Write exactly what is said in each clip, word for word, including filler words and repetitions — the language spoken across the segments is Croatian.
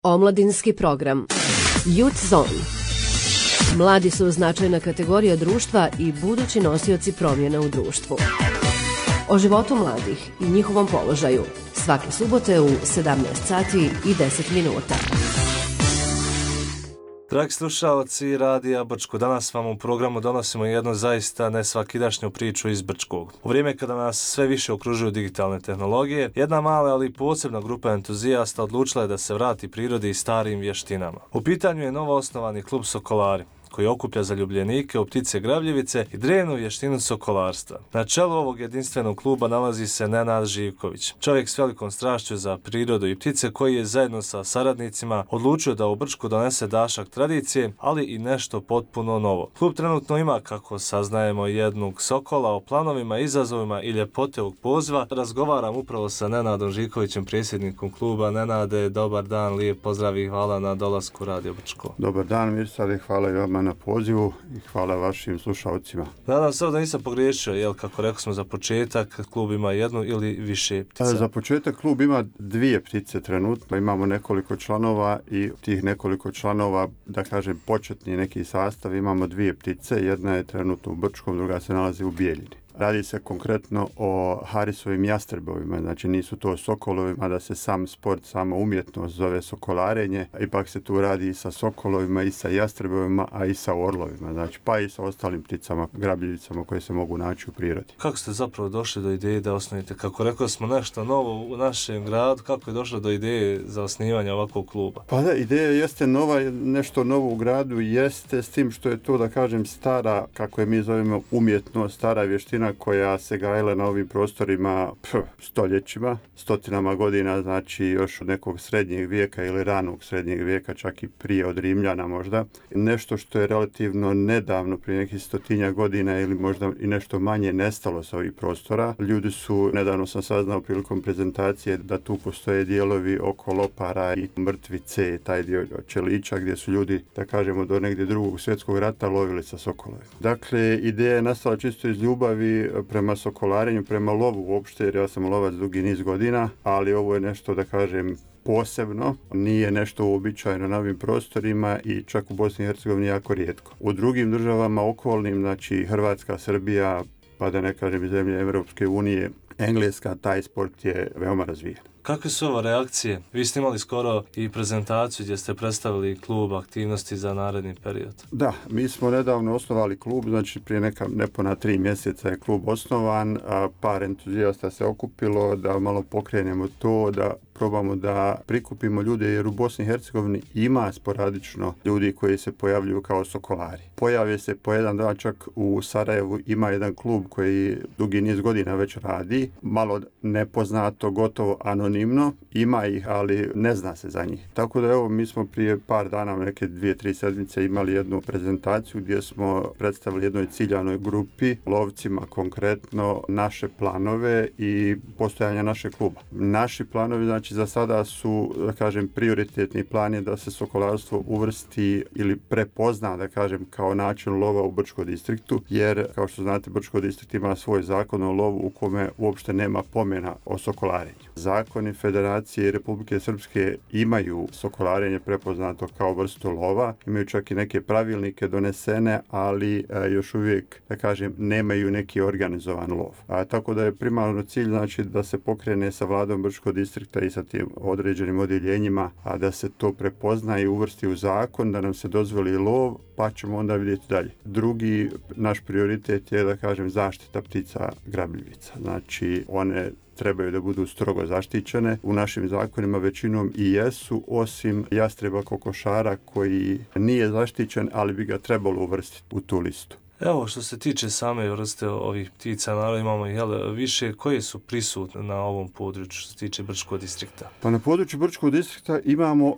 Omladinski program Youth Zone. Mladi su značajna kategorija društva i budući nosioci promjena u društvu. O životu mladih i njihovom položaju svake subote u sedamnaest sati i deset minuta. Dragi slušalci Radija Brčko, danas vam u programu donosimo jednu zaista nesvakidašnju priču iz Brčkog. U vrijeme kada nas sve više okružuju digitalne tehnologije, jedna mala ali posebna grupa entuzijasta odlučila je da se vrati prirodi i starim vještinama. U pitanju je novo osnovani klub Sokolari, koji okuplja zaljubljenike u ptice grabljivice i drevnu vještinu sokolarstva. Na čelu ovog jedinstvenog kluba nalazi se Nenad Živković, čovjek s velikom strašću za prirodu i ptice koji je zajedno sa saradnicima odlučio da u Brčku donese dašak tradicije, ali i nešto potpuno novo. Klub trenutno ima, kako saznajemo, jednog sokola. O planovima, izazovima i ljepote ovog poziva razgovaram upravo sa Nenadom Živkovićem, predsjednikom kluba. Nenade, dobar dan, lijep pozdrav i hvala na dolasku Radio Brčko. Dobar dan, Mirsade, hvala i vama na pozivu i hvala vašim slušalcima. Nadam se da nisam pogriješio, jel, kako rekao smo za početak, klub ima jednu ili više ptica? Za početak klub ima dvije ptice trenutno, imamo nekoliko članova i tih nekoliko članova, da kažem početni neki sastav, imamo dvije ptice, jedna je trenutno u Brčkom, druga se nalazi u Bijeljini. Radi se konkretno o Harisovim jastrebovima, znači nisu to sokolovima, da se sam sport, sama umjetnost zove sokolarenje, ipak se tu radi i sa sokolovima i sa jastrebovima, a i sa orlovima, znači pa i sa ostalim pticama, grabljivicama koje se mogu naći u prirodi. Kako ste zapravo došli do ideje da osnovite, kako rekao smo, nešto novo u našem gradu, kako je došlo do ideje za osnivanje ovakvog kluba? Pa da, ideja jeste nova, nešto novo u gradu jeste, s tim što je to, da kažem, stara, kako je mi zovemo, umjetnost, stara vještina koja se gajila na ovim prostorima pf, stoljećima, stotinama godina, znači još od nekog srednjeg vijeka ili ranog srednjeg vijeka, čak i prije od Rimljana možda. Nešto što je relativno nedavno, prije nekih stotinja godina ili možda i nešto manje, nestalo sa ovih prostora. Ljudi su, nedavno sam saznao prilikom prezentacije, da tu postoje dijelovi oko Lopara i Mrtvice, taj dio Čelića, gdje su ljudi, da kažemo, do negdje drugog svjetskog rata lovili sa sokolovima. Dakle, ideja je nastala čisto iz ljubavi prema sokolarenju, prema lovu uopšte, jer ja sam lovac dugi niz godina, ali ovo je nešto, da kažem, posebno, nije nešto uobičajeno na ovim prostorima i čak u Bosni i Hercegovini jako rijetko. U drugim državama okolnim, znači Hrvatska, Srbija, pa da ne kažem i zemlje Europske unije, Engleska, taj sport je veoma razvijen. Kakve su ove reakcije? Vi ste imali skoro i prezentaciju gdje ste predstavili klub, aktivnosti za naredni period. Da, mi smo nedavno osnovali klub, znači prije neka nepuna tri mjeseca je klub osnovan, a par entuzijasta se okupilo da malo pokrenemo to, da probamo da prikupimo ljude, jer u Bosni i Hercegovini ima sporadično ljudi koji se pojavljuju kao sokolari. Pojave se po jedan dan, čak u Sarajevu ima jedan klub koji dugi niz godina već radi, malo nepoznato, gotovo anonimno, ima ih, ali ne zna se za njih. Tako da evo, mi smo prije par dana, neke dvije, tri sedmice imali jednu prezentaciju gdje smo predstavili jednoj ciljanoj grupi, lovcima konkretno, naše planove i postojanja našeg kluba. Naši planovi, znači, za sada su, da kažem, prioritetni plan je da se sokolarstvo uvrsti ili prepozna, da kažem, kao način lova u Brčkom distriktu, jer, kao što znate, Brčko distrikt ima svoj zakon o lovu u kome uopšte nema pomena o sokolarenju. Zakoni Federacije Republike Srpske imaju sokolarenje prepoznato kao vrstu lova, imaju čak i neke pravilnike donesene, ali e, još uvijek, da kažem, nemaju neki organizovan lov. A, tako da je primarno cilj, znači, da se pokrene sa vladom Brčkog distrikta i sa tim određenim odjeljenjima, a da se to prepozna i uvrsti u zakon, da nam se dozvoli lov, pa ćemo onda vidjeti dalje. Drugi naš prioritet je, da kažem, zaštita ptica grabljivica. Znači, one trebaju da budu strogo zaštićene. U našim zakonima većinom i jesu, osim jastreba kokošara koji nije zaštićen, ali bi ga trebalo uvrstiti u tu listu. Evo, što se tiče same vrste ovih ptica, naravno imamo jel, više koje su prisutne na ovom području što se tiče Brčkog distrikta. Pa na području Brčkog distrikta imamo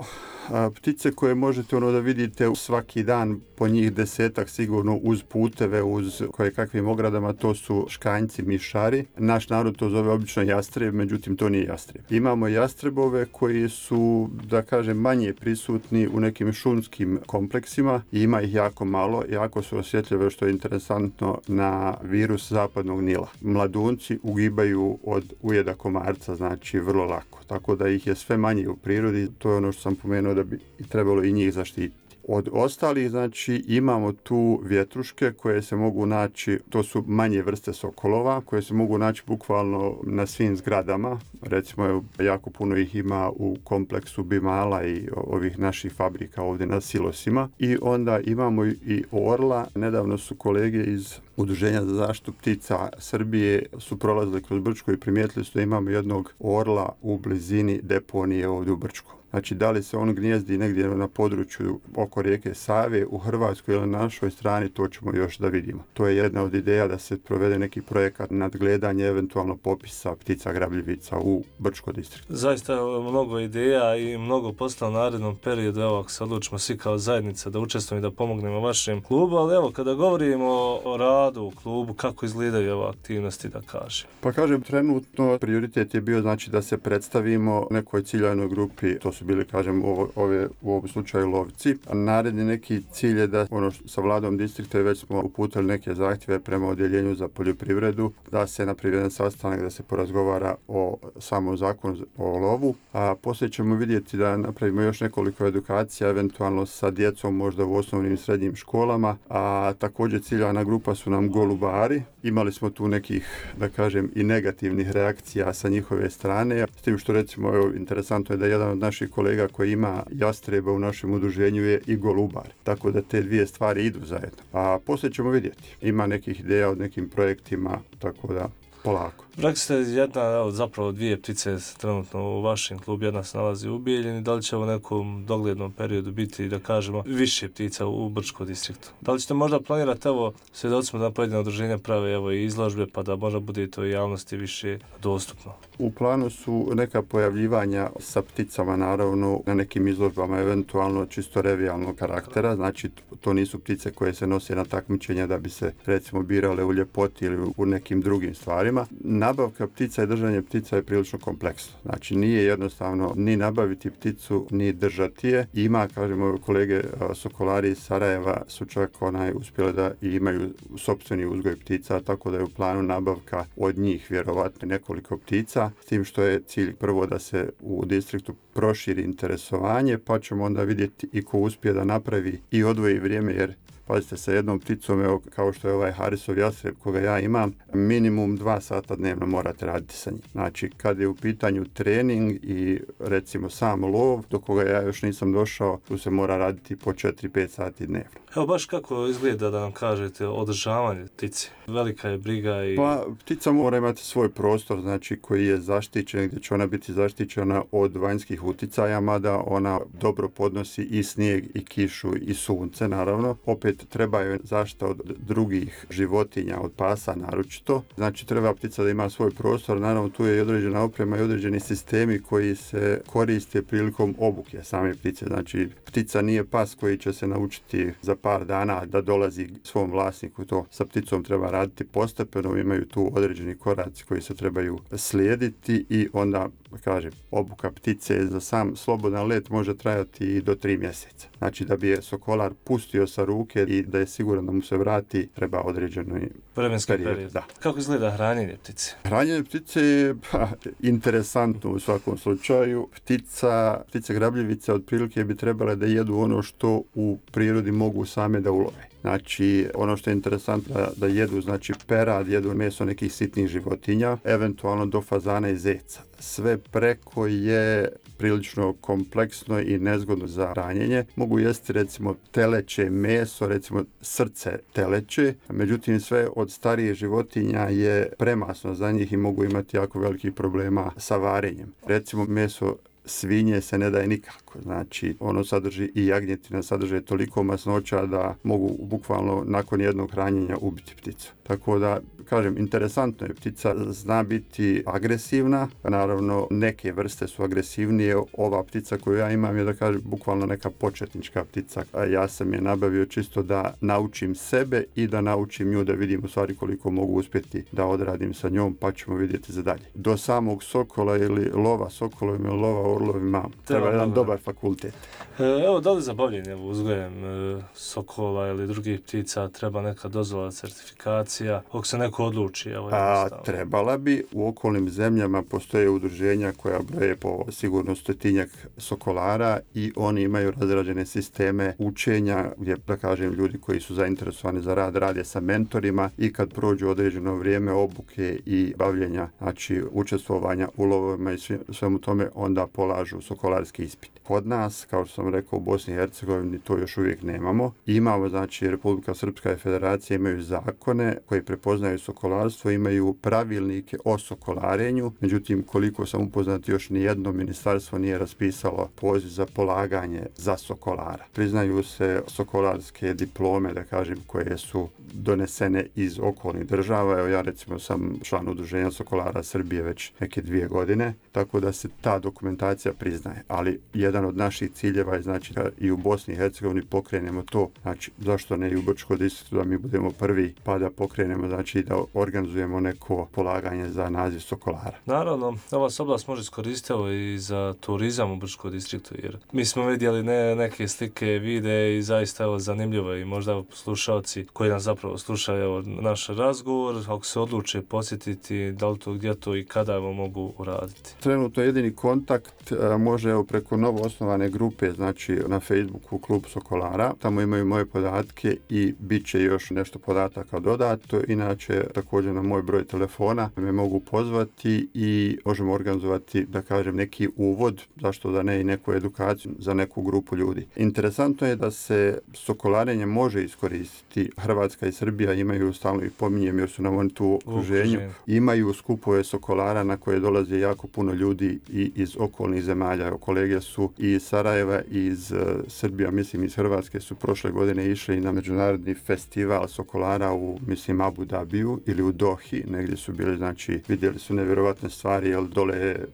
A, ptice koje možete ono da vidite svaki dan, po njih desetak sigurno uz puteve, uz koje kakvim ogradama, to su škanjci, mišari. Naš narod to zove obično jastreb, međutim to nije jastreb. Imamo jastrebove koji su, da kažem, manje prisutni u nekim šumskim kompleksima i ima ih jako malo, jako su osjetljive, što je interesantno, na virus zapadnog Nila. Mladunci ugibaju od ujeda komarca, znači vrlo lako. Tako da ih je sve manje u prirodi, to je ono što sam pomenuo da bi trebalo i njih zaštititi. Od ostalih, znači, imamo tu vjetruške koje se mogu naći, to su manje vrste sokolova, koje se mogu naći bukvalno na svim zgradama. Recimo, jako puno ih ima u kompleksu Bimala i ovih naših fabrika ovdje na silosima. I onda imamo i orla. Nedavno su kolege iz Udruženja za zaštitu ptica Srbije su prolazili kroz Brčko i primijetili su da imamo jednog orla u blizini deponije ovdje u Brčku. Znači, da li se on gnijezdi negdje na području oko rijeke Save u Hrvatskoj ili na našoj strani, to ćemo još da vidimo. To je jedna od ideja da se provede neki projekat nadgledanje eventualno popisa ptica grabljivica u Brčko distriktu. Zaista mnogo ideja i mnogo posla u narednom periodu. Evo, ako se odlučimo svi kao zajednica da učestvujemo i da pomognemo vašem klubu, ali evo, kada govorimo o radu u klubu, kako izgledaju ove aktivnosti, da kažem? Pa kažem, trenutno prioritet je bio, znači, da se predstavimo nekoj ciljanoj grupi, to su bili, kažem, ove, u ovom slučaju lovci. A naredni neki cilj je da, ono što, sa vladom distrikta već smo uputili neke zahtjeve prema odjeljenju za poljoprivredu, da se napravi jedan sastanak, da se porazgovara o samom zakonu o lovu. A poslije ćemo vidjeti da napravimo još nekoliko edukacija, eventualno sa djecom možda u osnovnim i srednjim školama. A također ciljana grupa su nam golubari. Imali smo tu nekih, da kažem, i negativnih reakcija sa njihove strane. S tim što, recimo, evo, interesantno je da jedan od naših kolega koji ima jastreba u našem udruženju je i golubar. Tako da te dvije stvari idu zajedno. A poslije ćemo vidjeti. Ima nekih ideja od nekim projektima, tako da polako. Rekli ste jedna od zapravo dvije ptice trenutno u vašem klubu, jedna se nalazi u Bijeljini. Da li će u nekom doglednom periodu biti, da kažemo, više ptica u Brčkom distriktu? Da li ćete možda planirati, evo, svjedocima da pojedine udruženja prave, evo, i izložbe, pa da možda bude to i javnosti više dostupno? U planu su neka pojavljivanja sa pticama, naravno, na nekim izložbama, eventualno čisto revijalnog karaktera. Znači, to nisu ptice koje se nose na takmičenja da bi se, recimo, birale u ljepoti ili u nekim drugim stvarima. Nabavka ptica i držanje ptica je prilično kompleksno. Znači, nije jednostavno ni nabaviti pticu, ni držati je. Ima, kažemo, kolege sokolari iz Sarajeva su čak onaj uspjeli da i imaju sopstveni uzgoj ptica, tako da je u planu nabavka od njih vjerovatno nekoliko ptica, s tim što je cilj prvo da se u distriktu proširi interesovanje, pa ćemo onda vidjeti i ko uspije da napravi i odvoji vrijeme, jer pazite, sa jednom pticom, evo, kao što je ovaj Harisov jastreb koga ja imam, minimum dva sata dnevno morate raditi sa njim. Znači, kad je u pitanju trening i, recimo, sam lov, do koga ja još nisam došao, tu se mora raditi po četiri pet sati dnevno. Evo, baš kako izgleda, da nam kažete, održavanje ptice? Velika je briga i... Pa, ptica mora imati svoj prostor, znači, koji je zaštićen, gdje će ona biti zaštićena od vanjskih uticaja, mada ona dobro podnosi i snijeg, i kišu, i sunce, naravno. Opet treba je zaštita od drugih životinja, od pasa naročito. Znači, treba ptica da ima svoj prostor, naravno tu je i određena oprema i određeni sistemi koji se koriste prilikom obuke same ptice. Znači, ptica nije pas koji će se naučiti za par dana da dolazi svom vlasniku. To sa pticom treba raditi postepeno, imaju tu određeni koraci koji se trebaju slijediti i onda, kažem, obuka ptice za sam slobodan let može trajati i do tri mjeseca. Znači, da bi je sokolar pustio sa ruke i da je siguran da mu se vrati, treba određeno vremenski period. period. Da. Kako izgleda hranjenje ptice? Hranjenje ptice je pa, interesantno u svakom slučaju. Ptica, ptice grabljivice otprilike bi trebale da jedu ono što u prirodi mogu same da ulove. Znači, ono što je interesantno da, da jedu, znači, perad, jedu meso nekih sitnih životinja, eventualno do fazana i zeca. Sve preko je prilično kompleksno i nezgodno za hranjenje. Mogu jesti, recimo, teleće meso, recimo srce teleće, međutim sve od starije životinja je premasno za njih i mogu imati jako velikih problema sa varenjem. Recimo, meso svinje se ne daje nikako. mlijeko. Znači, ono sadrži i jagnjetina, sadrže toliko masnoća da mogu bukvalno nakon jednog hranjenja ubiti pticu. Tako da, kažem, interesantno je, ptica zna biti agresivna, naravno neke vrste su agresivnije, ova ptica koju ja imam je, da kažem, bukvalno neka početnička ptica. A ja sam je nabavio čisto da naučim sebe i da naučim nju, da vidim u stvari koliko mogu uspjeti da odradim sa njom, pa ćemo vidjeti za dalje. Do samog sokola ili lova sokolovima ili lova orlovima treba jedan dobar, dobar fakultet. E, evo, da li za bavljenje uzgojem e, sokola ili drugih ptica treba neka dozvola, certifikacija, ako se neko odluči? Evo, A, trebala bi. U okolnim zemljama postoje udruženja koja broje po sigurno stotinjak sokolara i oni imaju razrađene sisteme učenja gdje, da kažem, ljudi koji su zainteresovani za rad rade sa mentorima i kad prođu određeno vrijeme obuke i bavljenja, znači učestvovanja u lovovima i svemu tome, onda polažu sokolarski ispit. Kod nas, kao što sam rekao, u Bosni i Hercegovini to još uvijek nemamo. Imamo, znači, Republika Srpska i Federacija imaju zakone koji prepoznaju sokolarstvo, imaju pravilnike o sokolarenju, međutim, koliko sam upoznat, još nijedno ministarstvo nije raspisalo poziv za polaganje za sokolara. Priznaju se sokolarske diplome, da kažem, koje su donesene iz okolnih država. Evo, ja recimo sam član udruženja sokolara Srbije već neke dvije godine, tako da se ta dokumentacija priznaje. Ali jedan od naših ciljeva je, znači, da i u Bosni i Hercegovini pokrenemo to, znači, zašto ne i u Brčkom distriktu, da mi budemo prvi, pa da pokrenemo, znači, da organizujemo neko polaganje za naziv sokolara. Naravno, ova se oblast može iskoristiti i za turizam u Brčkom distriktu, jer mi smo vidjeli ne, neke slike, videe i zaista evo zanimljivo i možda slušalci koji nas zapravo slušaju evo, naš razgovor, ako se odluče posjetiti, da li to, gdje to i kada evo mogu uraditi. Trenutno jedini kontakt a, može evo, preko novo osnovane grupe, znači na Facebooku Klub Sokolara, tamo imaju moje podatke i bit će još nešto podataka dodato, inače također na moj broj telefona me mogu pozvati i možemo organizovati, da kažem, neki uvod, zašto da ne i neku edukaciju za neku grupu ljudi. Interesantno je da se sokolarenje može iskoristiti. Hrvatska i Srbija imaju, stalno ih pominjem jer su nam oni tu u okruženju, imaju skupove sokolara na koje dolaze jako puno ljudi i iz okolnih zemalja. Kolege su i iz Sarajeva i iz uh, Srbija, mislim iz Hrvatske su prošle godine išli na međunarodni festival sokolara u, mislim, Abu Dhabiju ili u Dohi, negdje su bili, znači vidjeli su nevjerovatne stvari, jer dole je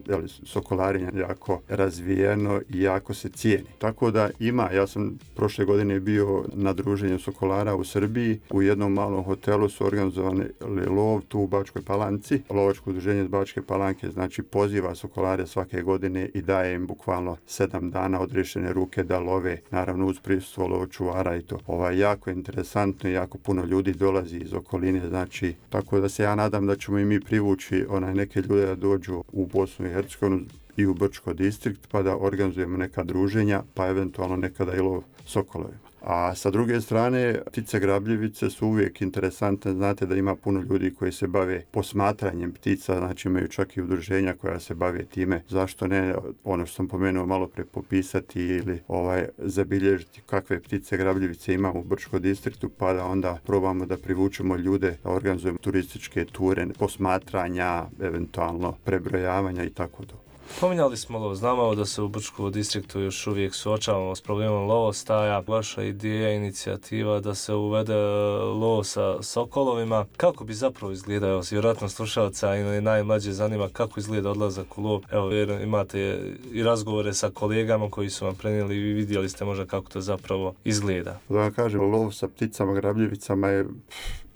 sokolarenje jako razvijeno i jako se cijeni. Tako da ima, ja sam prošle godine bio na druženju sokolara u Srbiji, u jednom malom hotelu su organizovani lov tu u Bačkoj Palanci, lovačko udruženje iz Bačke Palanke, znači poziva sokolare svake godine i daje im bukvalno sedam dana odriješene ruke da love, naravno uz prisustvo lovočuvara i to. Ovo je jako interesantno i jako puno ljudi dolazi iz okoline, znači tako da se ja nadam da ćemo i mi privući onaj neke ljude da dođu u Bosnu i Hercegovinu i u Brčko distrikt, pa da organizujemo neka druženja, pa eventualno nekada i lov sokolovima. A sa druge strane, ptice grabljivice su uvijek interesantne. Znate da ima puno ljudi koji se bave posmatranjem ptica, znači imaju čak i udruženja koja se bave time. Zašto ne, ono što sam pomenuo malo pre, popisati ili ovaj zabilježiti kakve ptice grabljivice imamo u Brčkom distriktu, pa da onda probamo da privučemo ljude, da organizujemo turističke ture, posmatranja, eventualno prebrojavanja i tako to. Pominjali smo lov, znamo da se u Brčkom distriktu još uvijek suočavamo s problemom lovostaja. Vaša ideja, inicijativa da se uvede lov sa sokolovima. Kako bi zapravo izgledao? Vjerojatno slušalca ili najmlađe zanima kako izgleda odlazak u lov. Evo, imate i razgovore sa kolegama koji su vam prenijeli i vidjeli ste možda kako to zapravo izgleda. Da vam kažem, lov sa pticama grabljivicama je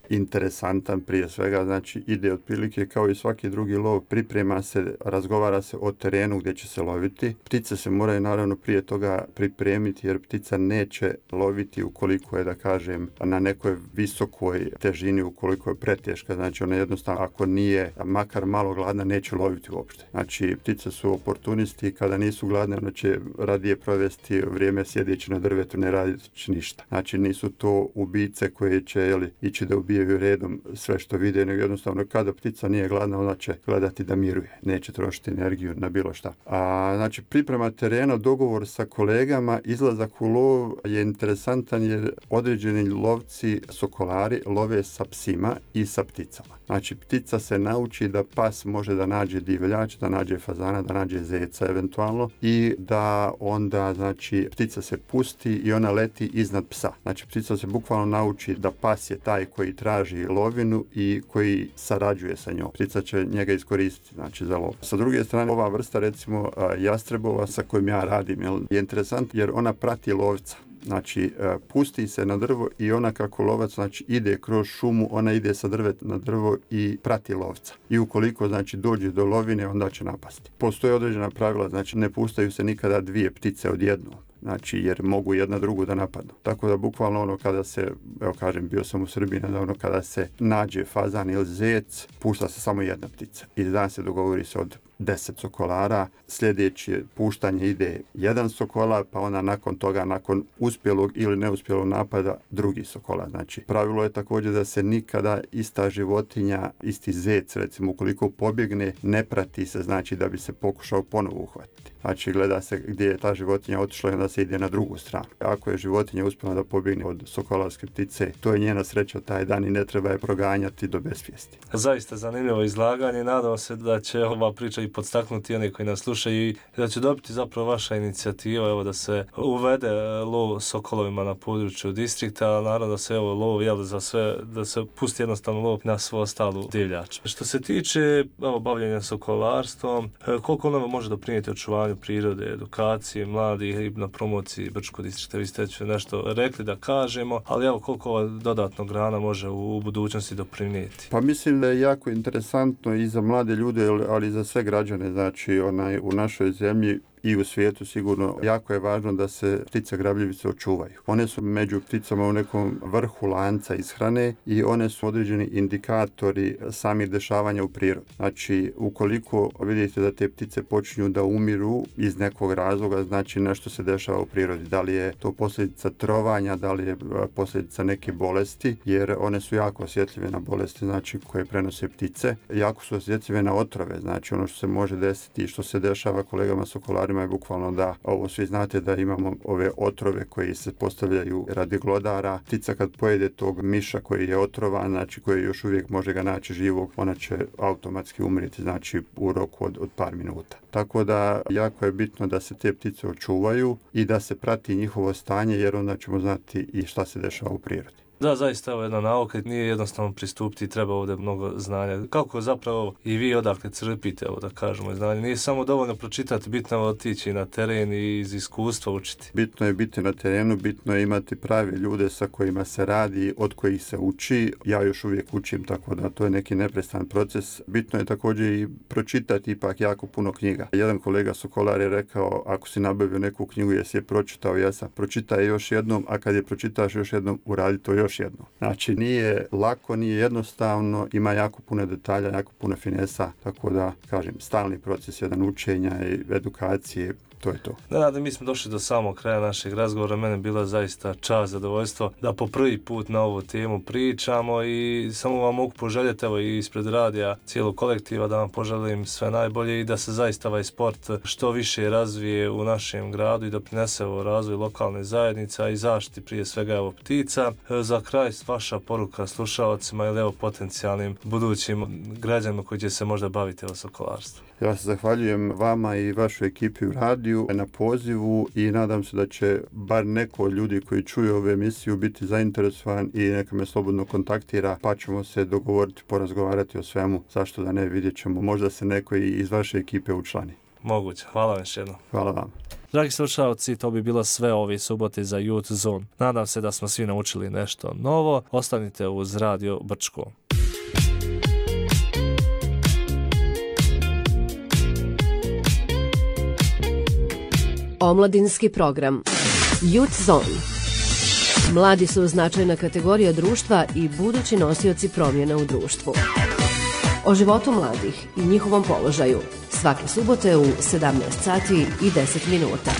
interesantan prije svega, znači ide otprilike kao i svaki drugi lov, priprema se, razgovara se o terenu gdje će se loviti. Ptice se moraju naravno prije toga pripremiti jer ptica neće loviti ukoliko je, da kažem, na nekoj visokoj težini, ukoliko je preteška, znači ona jednostavno ako nije makar malo gladna neće loviti uopšte. Znači ptice su oportunisti i kada nisu gladne ona će radije provesti vrijeme sjedeći na drvetu, ne raditi ništa. Znači nisu to ubice koje će jeli, ići da ubije ubijaju redom sve što vide, nego jednostavno kada ptica nije gladna, ona će gledati da miruje, neće trošiti energiju na bilo šta. A, znači, priprema terena, dogovor sa kolegama, izlazak u lov je interesantan jer određeni lovci, sokolari, love sa psima i sa pticama. Znači, ptica se nauči da pas može da nađe divljač, da nađe fazana, da nađe zeca eventualno i da onda, znači, ptica se pusti i ona leti iznad psa. Znači, ptica se bukvalno nauči da pas je taj koji traži lovinu i koji sarađuje sa njom. Ptica će njega iskoristiti, znači, za lov. Sa druge strane, ova vrsta, recimo, jastrebova sa kojim ja radim, je interesant jer ona prati lovca. Znači, pusti se na drvo i ona kako lovac, znači, ide kroz šumu, ona ide sa drveta na drvo i prati lovca. I ukoliko, znači, dođe do lovine, onda će napasti. Postoje određena pravila, znači, ne pustaju se nikada dvije ptice odjednom. Znači, jer mogu jedna drugu da napadnu. Tako da, bukvalno ono kada se, evo kažem, bio sam u Srbiji nedavno, kada se nađe fazan ili zec, pušta se samo jedna ptica. I dan se dogovori se od deset sokolara, sljedeće puštanje ide jedan sokolar, pa onda nakon toga, nakon uspjelog ili neuspjelog napada, drugi sokolar. Znači, pravilo je također da se nikada ista životinja, isti zec, recimo, ukoliko pobjegne, ne prati se, znači, da bi se pokušao ponovo uhvatiti. Znači, gleda se gdje je ta životinja otišla i onda se ide na drugu stranu. Ako je životinja uspjela da pobjegne od sokolarske ptice, to je njena sreća taj dan i ne treba je proganjati do besvijesti. Zaista zanimljivo izlaganje. Nadam se da će ova priča i podstaknuti one koji nas slušaju i da će dobiti zapravo vaša inicijativa, evo, da se uvede lov sokolovima na području distrikta, a naravno da se evo lov, jel, za sve, da se pusti jednostavno lov na svu ostalu divljač. Što se tiče evo bavljenja sokolarstvom, koliko ono može doprinijeti očuvanju prirode, edukaciji mladih i na promociji Brčkog distrikta? Vi ste nešto rekli da kažemo, ali evo koliko ova dodatna grana može u budućnosti doprinijeti? Pa mislim da je jako interesantno i za mlade ljude, ali i za sve građane, znači onaj, u našoj zemlji i u svijetu sigurno jako je važno da se ptice grabljivice očuvaju. One su među pticama u nekom vrhu lanca ishrane i one su određeni indikatori samih dešavanja u prirodi. Znači, ukoliko vidite da te ptice počinju da umiru iz nekog razloga, znači nešto se dešava u prirodi. Da li je to posljedica trovanja, da li je posljedica neke bolesti, jer one su jako osjetljive na bolesti, znači, koje prenose ptice. Jako su osjetljive na otrove, znači ono što se može desiti i što se dešava kolegama sokolarima je bukvalno da, ovo svi znate da imamo ove otrove koji se postavljaju radi glodara. Ptica kad pojede tog miša koji je otrovan, znači koji još uvijek može ga naći živog, ona će automatski umriti, znači u roku od, od par minuta. Tako da jako je bitno da se te ptice očuvaju i da se prati njihovo stanje, jer onda ćemo znati i šta se dešava u prirodi. Da, zaista ovo je jedna nauka, nije jednostavno pristupiti, treba ovdje mnogo znanja. Kako zapravo i vi odakle crpite, evo da kažemo, znanje? Nije samo dovoljno pročitati, bitno je otići na teren i iz iskustva učiti. Bitno je biti na terenu, bitno je imati prave ljude sa kojima se radi, od kojih se uči. Ja još uvijek učim, tako da to je neki neprestan proces. Bitno je također i pročitati ipak jako puno knjiga. Jedan kolega sokolar je rekao, ako si nabavio neku knjigu, jesi je pročitao, jesam, pročitaj još jednom, a kad je pročitaš još jednom, uradi to još jednom. Znači, nije lako, nije jednostavno, ima jako puno detalja, jako puno finesa, tako da, kažem, stalni proces jedan učenja i edukacije, to je to. Da, da, mi smo došli do samog kraja našeg razgovora. Mene je bila zaista čast, zadovoljstvo da po prvi put na ovu temu pričamo i samo vam mogu poželjeti, evo i ispred radija cijelog kolektiva, da vam poželim sve najbolje i da se zaista ovaj sport što više razvije u našem gradu i da prinese u razvoj lokalne zajednice, a i zaštiti prije svega evo ptica. Za kraj vaša poruka slušalcima ili evo potencijalnim budućim građanima koji će se možda baviti evo sokolarstvom. Ja se zahvaljujem vama i vašoj ekipi u radiju na pozivu i nadam se da će bar neko od ljudi koji čuju ovu emisiju biti zainteresovan i neka me slobodno kontaktira, pa ćemo se dogovoriti, porazgovarati o svemu. Zašto da ne, vidjet ćemo. Možda se neko i iz vaše ekipe učlani. Moguće. Hvala vam još jednom. Hvala vam. Dragi slušalci, to bi bilo sve ove subote za Youth Zone. Nadam se da smo svi naučili nešto novo. Ostanite uz Radio Brčko. Omladinski program Youth Zone. Mladi su značajna kategorija društva i budući nosioci promjena u društvu. O životu mladih i njihovom položaju svake subote u sedamnaest sati i deset minuta.